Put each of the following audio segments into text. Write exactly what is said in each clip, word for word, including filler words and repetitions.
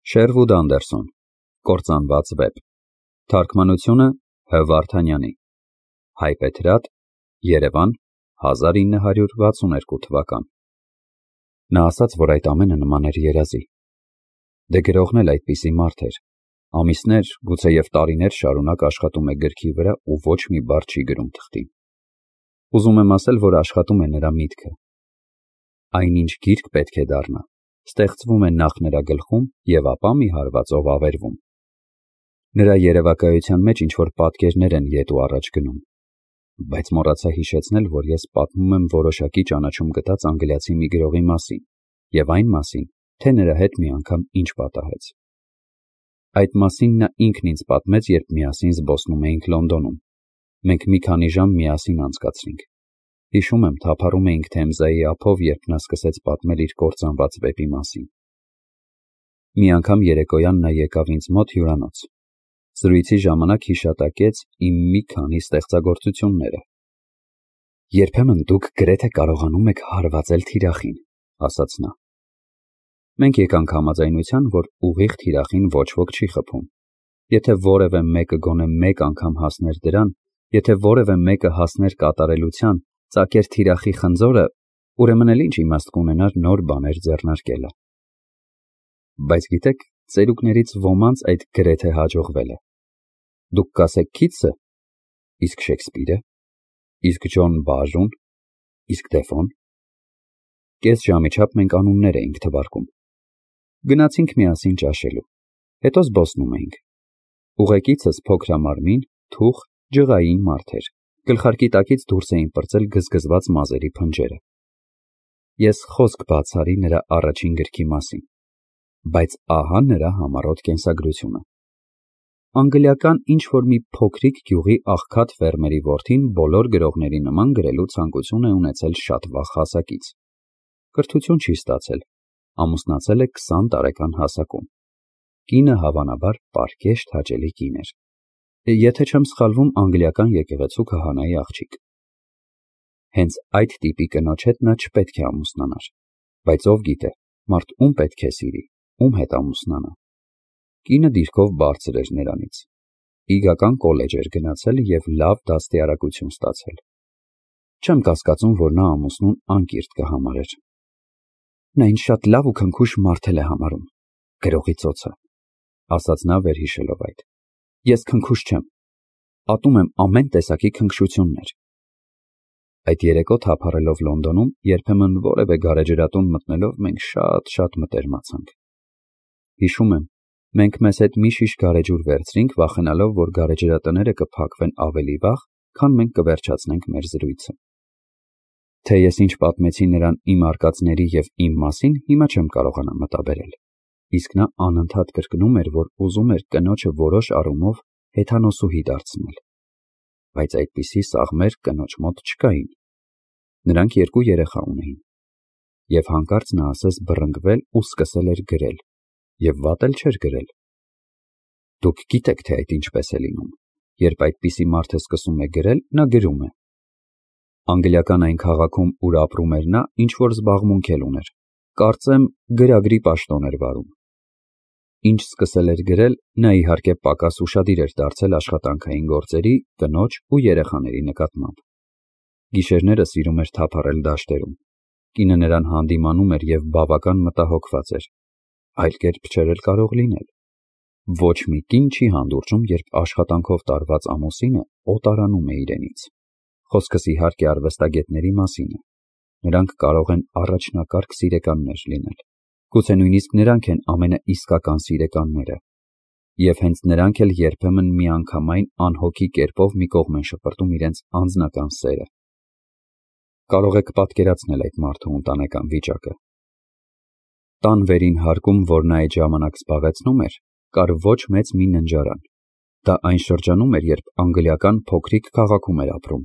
Շերվուդ Անդերսոն, Կործանված վեպ, թարգմանությունը Հ. Վարդանյանի, Հայբեթրատ, Երևան, հազար ինը հարյուր վաթսունութ թվական։ Նա ասաց, որ այդ ամենը նման էր երազի։ Դե գրողն էլ այդպիսի մարդ էր, ամիսներ, գուցեև տարիներ շարունակ աշխատում է գրքի վրա ու ոչ մի բառ չի գրում թղթին։ Ուզում եմ ասել, որ աշխատում է նրա միտքը։ Այնինչ գիրք պետք է դառնա, ստեղծվում է նախ նրա գլխում և ապա մի հարվածով ավերվում։ Նրա երևակայության մեջ ինչ-որ պատկերներ են ետ ու առաջ գնում, բայց մոռացա հիշեցնել, որ ես պատմում եմ որոշակի ճանաչում գտած անգլիացի մի գրողի մասին և այն մասին, թե նրա հետ մի անգամ ինչ պատահեց։ Այդ մասին նա ինքն ինձ պատմեց, երբ միասին զբոսնում էինք Լոնդոնում։ Մենք մի քանի ժամ միասին անցկացրինք։ Հիշում եմ, թափառում էինք Թեմզայի ափով, երբ նա սկսեց պատմել իր կործանված վեպի մասին։ Մի անգամ երեկոյան նա եկավ ինձ մոտ հյուրանոց։ Զրույցի ժամանակ հիշատակեց իմ մի քանի ստեղծագործությունները։ Երբեմն դուք գրեթե կարողանում եք հարվածել թիրախին, ասաց նա։ Մենք եկանք համաձայնության, որ ուղիղ թիրախին ոչ ոք չի խփում։ Եթե որևէ մեկը գոնե մեկ անգամ հասներ դրան, եթե որևէ մեկը հասներ կատարելության, ծակեր թիրախի խնձորը, ուրեմն էլ ինչ իմաստ կունենար նոր բաներ ձեռնարկելը։ Բայց գիտեք, ծերուկներից ոմանց այդ գրեթե հաջողվել է։ Դուք կասեք Քիթսը, իսկ Շեքսպիրը, իսկ Ջոն Բաժուն, իսկ Դեֆոն։ Կես ժամի չափ մենք անուններ էինք թվարկում։ Գնացինք միասին ճաշելու, հետո զբոսնում էինք։ Ուղեկիցս փոքրամարմին, թուխ, ջղային մարդ էր, գլխարկի տակից դուրս էին պրծել գզգզված մազերի փնջերը։ Ես խոսք բացառի նրա առաջին գրքի մասին, բայց ահա նրա համառոտ կենսագրությունը։ Անգլիական ինչ-որ մի փոքրիկ գյուղի աղքատ ֆերմերի որդին բոլոր գրողների նման գրելու ցանկություն է ունեցել շատ վաղ հասակից։ Կրթություն չի ստացել, ամուսնացել է քսան տարեկան հասակում։ Կինը հավանաբար պարկեշտ հաճելի կին էր։ Եթե չեմ սխալվում, անգլիական եկեղեցու քահանայի աղջիկ։ Հենց այդ տիպի կնոջ հետ նա չպետք է ամուսնանար, բայց ով գիտե, մարդ ում պետք է սիրի, ում հետ ամուսնանա։ Կինը դիրքով բարձր էր նրանից, իգական կոլեջ էր գնացել և լավ դաստիարակություն ստացել։ Չեմ կասկածում, որ նա ամուսնուն անկիրթ կհամարեր։ Նա ինձ շատ լավ ու քնքուշ մարդ է համարում, գրողի ծոցը, ասաց նա վերհիշելով այդ։ Ես քնքուշ չեմ, ատում եմ ամեն տեսակի քնքշություններ։ Այդ երեկո թափառելով Լոնդոնում, երբեմն որևէ գարեջրատուն մտնելով մենք շատ-շատ մտերմացանք։ Հիշում եմ, մենք մեզ հետ մի շիշ գարեջուր վերցրինք, վախենալով, որ գարեջրատները կփակվեն ավելի վաղ, քան մենք կվերջացնենք մեր զրույցը։ Թե ես ինչ պատմեցի նրան իմ արկածների և իմ մասին, հիմա չեմ կարողանա մտաբերել, իսկ նա անընդհատ կրկնում էր, որ ուզում էր կնոջը որոշ առումով հեթանոսուհի դարձնել, բայց այդպիսի սաղմեր կնոջ մոտ չկային։ Նրանք երկու երեխա ունեին, և հանկարծ նա ասես բռնկվել ու սկսել էր գրել, և վատ էլ չէր գրել։ Դուք գիտեք, թե այդ ինչպես է լինում, երբ այդպիսի մարդը սկսում է գրել, նա գրում է։ Անգլիական այն քաղաքում, ուր ապրում էր նա, ինչ-որ զբաղմունք էլ ուներ, կարծեմ գրագրի պաշտոն էր վարում։ Ինչ սկսել էր գրել, նա իհարկե պակաս ուշադիր էր դարձել աշխատանքային գործերի, կնոջ ու երեխաների նկատմամբ։ Գիշերները սիրում էր թափառել դաշտերում։ Կինը նրան հանդիմանում էր և բավական մտահոգված էր։ Այլ կերպ չէր էլ կարող լինել։ Ոչ մի կին չի հանդուրժում, երբ աշխատանքով տարված ամուսինը օտարանում է իրենից։ Խոսքս իհարկե արվեստագետների մասին է։ Նրանք կարող են առաջնակարգ սիրեկաններ լինել։ Գուցե նույնիսկ նրանք են ամենաիսկական սիրեկանները։ Եվ հենց նրանք էլ երբեմն միանգամայն անհոգի կերպով մի կողմ են շպրտում իրենց անձնական սերը։ Կարող եք պատկերացնել այդ մարդու ընտանեկան վիճակը։ Տան վերին հարկում, որ նա այդ ժամանակ զբաղեցնում էր, կար ոչ մեծ մի ննջարան։ Դա այն շրջանում էր, երբ անգլիական փոքրիկ քաղաքում էր ապրում։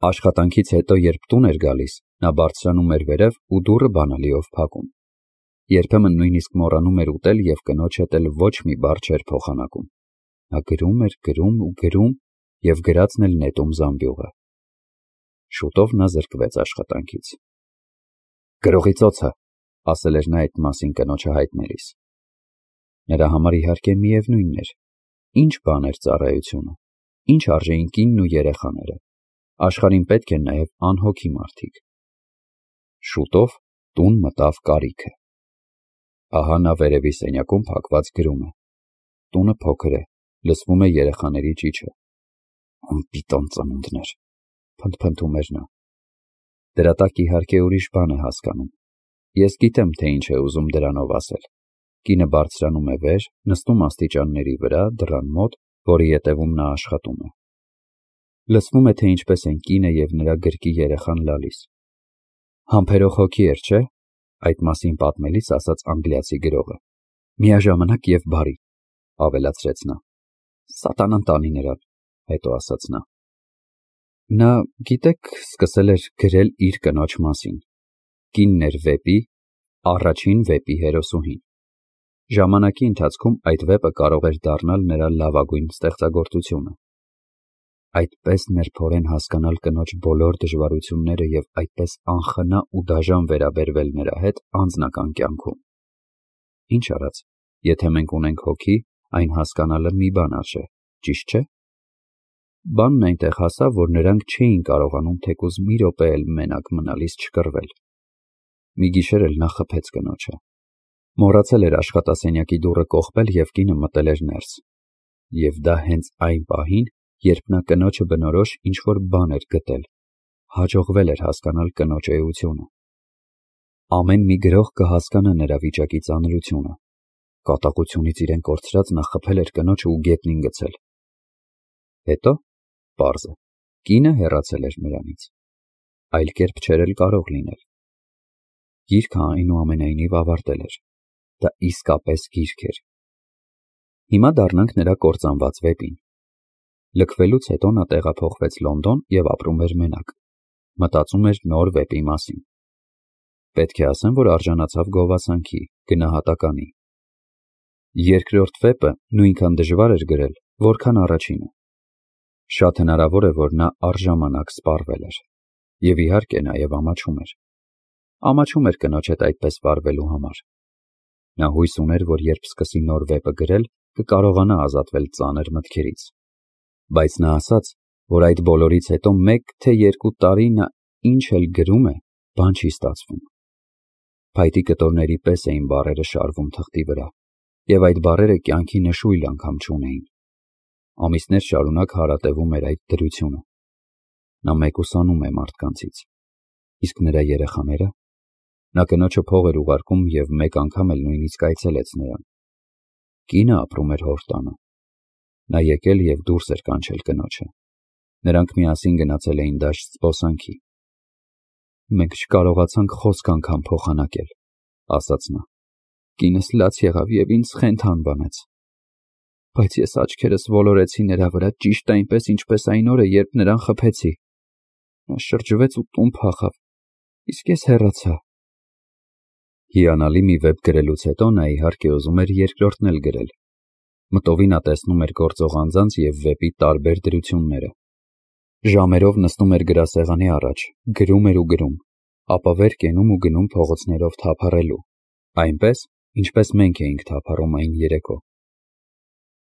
Աշխատանքից հետո, երբ տուն էր գալիս, նա բարձրանում էր վերև ու դուռը բանալիով փակում։ Երբեմն նույնիսկ մոռանում էր ուտել և կնոջ հետ էլ ոչ մի բառ չէր փոխանակում։ Նա գրում էր, գրում ու գրում և գրածն էլ նետում զամբյուղը։ Շուտով նա զրկվեց աշխատանքից։ Գրողի ծոցը, ասել էր նա այդ մասին կնոջը հայտնելիս։ Նրա համար իհարկե միևնույնն էր, ինչ բան էր ծառայությունը, ինչ արժեին կինն ու երեխաները, աշխարհին պետք են նաև անհոգի մարդիկ։ Շուտով տուն մտավ կարիքը։ Ահա նա վերևի սենյակում փակված գրում է։ Տունը փոքր է, լսվում է երեխաների ճիչը։ Անպիտան ծնունդներ, փնթփնթում էր նա։ Դրա տակ իհարկե ուրիշ բան է հասկանում։ Ես գիտեմ, թե ինչ է ուզում դրանով ասել։ Կինը բարձրանում է վեր, նստում աստիճանների վրա, դռան մոտ, որի ետևում նա աշխատում է։ Լսվում է, թե ինչպես են կինը և նրա գրկի երեխան լալիս։ Համբերող հոգի էր, չէ՞, այդ մասին պատմելիս ասաց անգլիացի գրողը։ Միաժամանակ և բարի, ավելացրեց նա։ Սատանան տանի նրան, հետո ասաց նա։ Նա, գիտեք, սկսել էր գրել իր կնոջ մասին։ Կինն էր վեպի, առաջին վեպի հերոսուհին։ Ժամանակի ընթացքում այդ վեպը կարող էր դառնալ նրա լավագույն ստեղծագործությունը։ Այդպես նրբորեն հասկանալ կնոջ բոլոր դժվարությունները և այդպես անխնա ու դաժան վերաբերվել նրա հետ անձնական կյանքում։ Ինչ արած, եթե մենք ունենք հոգի, այն հասկանալը մի բան արժե, ճիշտ չէ՞։ Բանն այնտեղ հասավ, որ նրանք չէին կարողանում թեկուզ մի րոպե էլ մենակ մնալիս չկռվել։ Մի գիշեր էլ նա խփեց կնոջը։ Մոռացել էր աշխատասենյակի դուռը կողպել և կինը մտել էր ներս։ Եվ դա հենց այն պահին, երբ նա կնոջը բնորոշ ինչ-որ բան էր գտել, հաջողվել էր հասկանալ կնոջ էությունը։ Ամեն մի գրող կհասկանա նրա վիճակի ծանրությունը։ Կատաղությունից իրեն կորցրած նա խփել էր կնոջը ու գետնին գցել։ Հետո, պարզ է, կինը հեռացել էր նրանից։ Այլ կերպ չէր էլ կարող լինել։ Գիրքը այնուամենայնիվ ավարտել էր։ Դա իսկապես գիրք էր։ Հիմա դառնանք նրա կործանված վեպին։ Լքվելուց հետո նա տեղափոխվեց Լոնդոն և ապրում էր մենակ։ Մտածում էր նոր վեպի մասին։ Պետք է ասեմ, որ արժանացավ գովասանքի, գնահատականի։ Երկրորդ վեպը նույնքան դժվար էր գրել, որքան առաջինը։ Շատ հնարավոր է, որ նա առժամանակ սպառվել էր։ Եվ իհարկե նաև ամաչում էր։ Ամաչում էր կնոջ հետ այդպես վարվելու համար։ Նա հույս ուներ, որ երբ սկսի նոր վեպը գրել, կկարողանա ազատվել ծանր մտքերից։ Բայց նա ասաց, որ այդ բոլորից հետո մեկ թե երկու տարի նա ինչ էլ գրում է, բան չի ստացվում։ Փայտի կտորների պես էին բառերը շարվում թղթի վրա, և այդ բառերը կյանքի նշույլ անգամ չունեին։ Ամիսներ շարունակ հարատևում էր այդ դրությունը։ Նա մեկուսանում է մարդկանցից։ Իսկ նրա երեխաները։ Նա կնոջը փող էր ուղարկում և մեկ անգամ էլ նույնիսկ այցելեց նրան։ Կինը ապրում էր հոր տանը։ Նա եկել և դուրս էր կանչել կնոջը։ Նրանք միասին գնացել էին դաշտ զբոսանքի։ Մենք չկարողացանք խոսք անգամ փոխանակել, ասաց նա։ Կինս լաց եղավ և ինձ խենթ անվանեց։ Բայց ես աչքերս ոլորեցի նրա վրա ճիշտ այնպես, ինչպես այն օրը, երբ նրան խփեցի։ Նա շրջվեց ու տուն փախավ, իսկ ես հեռացա։ Հիանալի մի վեպ գրելուց հետո նա իհարկե ուզում էր երկրորդն էլ գրել։ Մտովի նա տեսնում էր գործող անձանց և վեպի տարբեր դրությունները։ Ժամերով նստում էր գրասեղանի առաջ, գրում էր ու գրում, ապա վեր կենում ու գնում փողոցներով թափառելու, այնպես, ինչպես մենք էինք թափառում այն երեկո։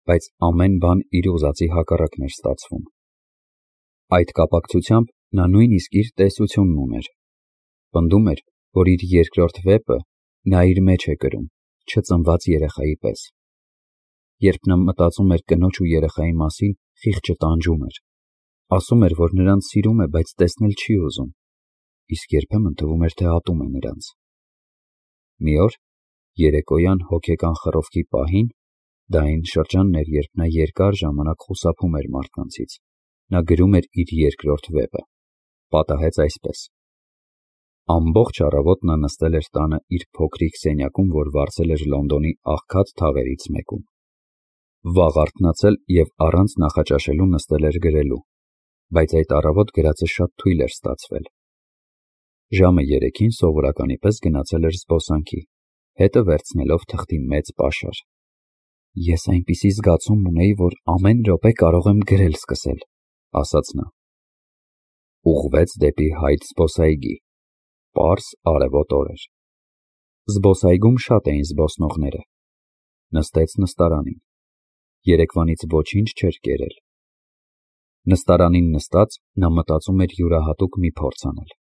Բայց ամեն բան իր ուզածի հակառակն էր ստացվում։ Այդ կապակցությամբ նա նույնիսկ իր տեսությունն ուներ։ Պնդում էր, որ իր երկրորդ վեպը նա իր մեջ է կրում, չծնված երեխայի պես։ Երբ նա մտածում էր կնոջ ու երեխայի մասին, խիղճը տանջում էր։ Ասում էր, որ նրանց սիրում է, բայց տեսնել չի ուզում, իսկ երբեմն թվում էր, թե ատում է նրանց։ Մի օր, երեկոյան հոգեկան խռովքի պահին, դա այն շրջանն էր, երբ նա երկար ժամանակ խուսափում էր մարդկանցից, նա գրում էր իր երկրորդ վեպը։ Պատահեց այսպես. ամբողջ առավոտ նա նստել էր տանը իր փոքրիկ սենյակում, որ վարձել էր Լոնդոնի աղքատ թաղերից մեկում։ Վաղ արթնացել և առանց նախաճաշելու նստել էր գրելու, բայց այդ առավոտ գրածը շատ թույլ էր ստացվել։ Ժամը երեքին սովորականի պես գնացել էր զբոսանքի, հետը վերցնելով թղթի մեծ պաշար։ Ես այնպիսի զգացում ունեի, որ ամեն րոպե կարող եմ գրել սկսել, ասաց նա։ Ուղղվեց դեպի Հայդ զբոսայգի։ Պարզ արևոտ օր էր։ Զբոսայգում շատ էին զբոսնողները։ նստեց նստարանին։ Երեկվանից ոչինչ չէր կերել։ Նստարանին նստած նա մտածում էր յուրահատուկ մի փորձ անել։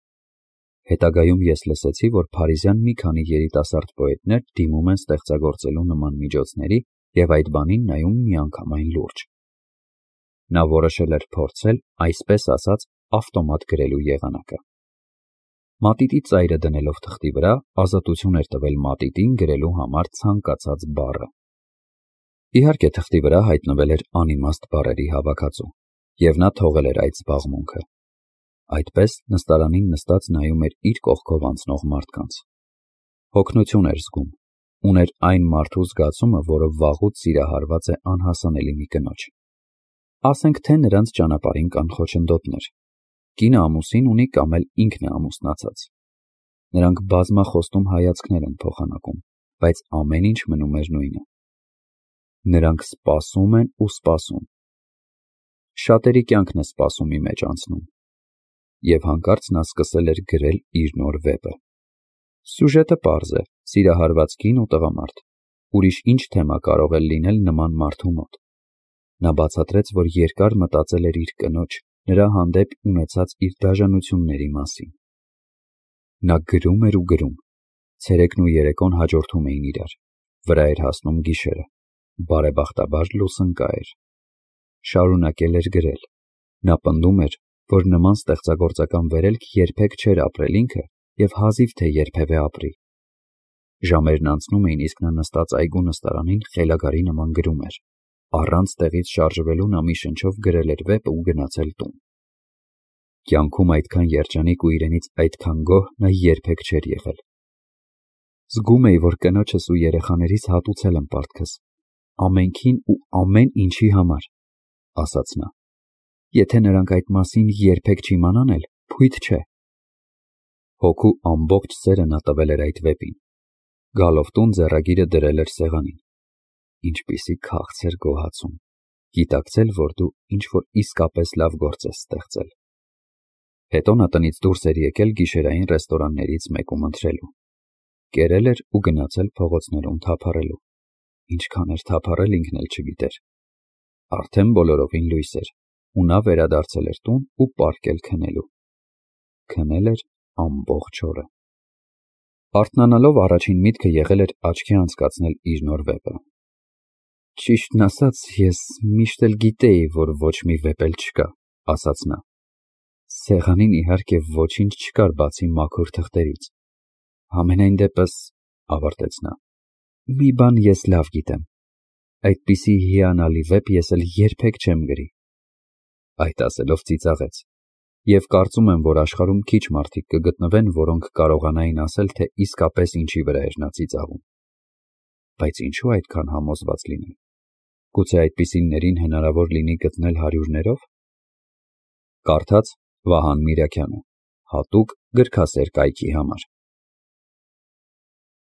Հետագայում ես լսեցի, որ փարիզյան մի քանի երիտասարդ պոետներ դիմում են ստեղծագործելու նման միջոցների և այդ բանին նայում միանգամայն լուրջ։ Նա որոշել էր փորձել, այսպես ասած, ավտոմատ գրելու եղանակը։ Մատիտի ծայրը դնելով թղթի վրա, ազատություն էր տվել մատիտին գրելու համար ցանկացած բառը։ Իհարկե, թղթի վրա հայտնվել էր անիմաստ բառերի հավաքածու, և նա թողել էր այդ զբաղմունքը։ Այդպես նստարանին նստած նայում էր իր կողքով անցնող մարդկանց։ Հոգնություն էր զգում, ուներ այն մարդու զգացումը, որը վաղուց սիրահարված է անհասանելի մի կնոջ։ Ասենք թե նրանց ճանապարհին կան խոչընդոտներ։ Կինը ամուսին ունի կամ էլ ինքն է ամուսնացած։ Նրանք բազմախոստում հայացքներ են փոխանակում, բայց ամեն ինչ մնում էր նույնը։ Նրանք սպասում են ու սպասում։ Շատերի կյանքն է սպասումի մեջ անցնում։ Եվ հանկարծ նա սկսել էր գրել իր նոր վեպը։ Սյուժետը պարզ է՝ սիրահարված կին ու տղամարդ։ Ուրիշ ինչ թեմա կարող է լինել նման մարդու մոտ։ Նա բացատրեց, որ երկար մտածել էր իր կնոջ, նրա հանդեպ ունեցած իր դաժանությունների մասին։ Նա գրում էր ու գրում։ Ցերեկն ու երեկոն հաջորդում էին իրար։ Վրա էր հասնում գիշերը։ Բարեբախտաբար լուսընկա էր։ Շարունակել էր գրել։ Նա պնդում էր, որ նման ստեղծագործական վերելք երբեք չէր ապրել ինքը և հազիվ թե երբևէ ապրի։ Ժամերն անցնում էին, իսկ նա նստած այգու նստարանին խելագարի նման գրում էր։ Առանց տեղից շարժվելու նա մի շնչով գրել էր վեպը ու գնացել տուն։ Կյանքում այդքան երջանիկ ու իրենից այդքան գոհ նա երբեք չէր եղել։ Զգում էի, որ կնոջս ու երեխաներիս հատուցել եմ պարտքս, ամենքին ու ամեն ինչի համար, ասաց նա։ Եթե նրանք այդ մասին երբեք չիմանան էլ, փույթ չէ։ Հոգու ամբողջ սերը նա տվել էր այդ վեպին։ Գալով տուն ձեռագիրը դրել էր սեղանին։ Ինչպիսի քաղց էր գոհացում, գիտակցել, որ դու ինչ-որ իսկապես լավ գործ ես ստեղծել։ Հետո նա տնից դուրս էր եկել գիշերային ռեստորաններից մեկում ընթրելու։ Կերել էր ու գնացել փողոցներում թափառելու։ Ինչքան էր թափառել ինքն էլ չգիտեր։ Արդեն բոլորովին լույս էր, ու նա վերադարձել էր տուն ու պառկել քնելու։ Քնել էր ամբողջ օրը։ Արթնանալով առաջին միտքը եղել էր աչքի անցկացնել իր նոր վեպը։ Ճիշտն ասած, ես միշտ էլ գիտեի, որ ոչ մի վեպ էլ չկա, ասաց նա։ Սեղանին իհարկե ոչինչ չկար բացի մաքուր թղթերից։ Համենայն դեպս, ավարտեց նա, մի բան ես լավ գիտեմ։ Այդպիսի հիանալի վեպ ես էլ երբեք չեմ գրի։ Այդ ասելով ծիծաղեց։ Եվ կարծում եմ, որ աշխարհում քիչ մարդիկ կգտնվեն, որոնք կարողանային ասել, թե իսկապես ինչի վրա էր նա ծիծաղում։ Բայց ինչու այդքան համոզված լինել։ Գուցե այդպիսիներին հնարավոր լինի գտնել հարյուրներով։ Կարդաց Վահան Միրաքյանը, հատուկ գրքասեր կայքի համար։